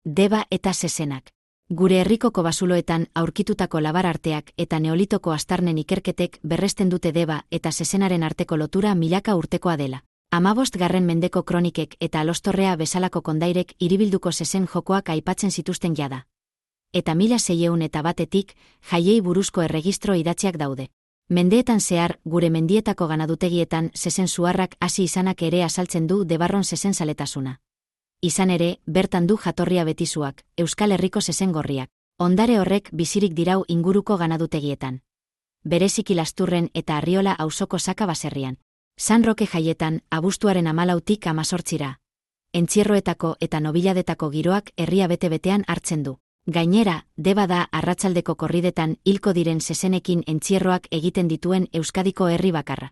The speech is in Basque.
Deba eta zezenak. Gure herriko kobazuloetan aurkitutako labar arteak eta neolitoko aztarnen ikerketek berresten dute deba eta zezenaren arteko lotura milaka urtekoa dela. 15. mendeko kronikek eta Alostorrea bezalako kondairek hiribilduko zezen jokoak aipatzen zituzten jada. Eta 1601 jaiei buruzko erregistro idatziak daude. Mendeetan zehar, gure mendietako ganadutegietan zezen zuharrak hasi izanak ere azaltzen du debarron zezen zaletasuna. Izan ere, bertan du jatorria betizuak, Euskal Herriko zezen gorriak. Ondare horrek bizirik dirau inguruko ganadutegietan. Bereziki Lasturren eta Arriola auzoko Saka baserrian. San Roke jaietan, abuztuaren 14tik 18ra. Entzierroetako eta nobiladetako giroak herria bete-betean hartzen du. Gainera, deba da arratsaldeko korridetan hilko diren zezenekin entzierroak egiten dituen Euskadiko herri bakarra.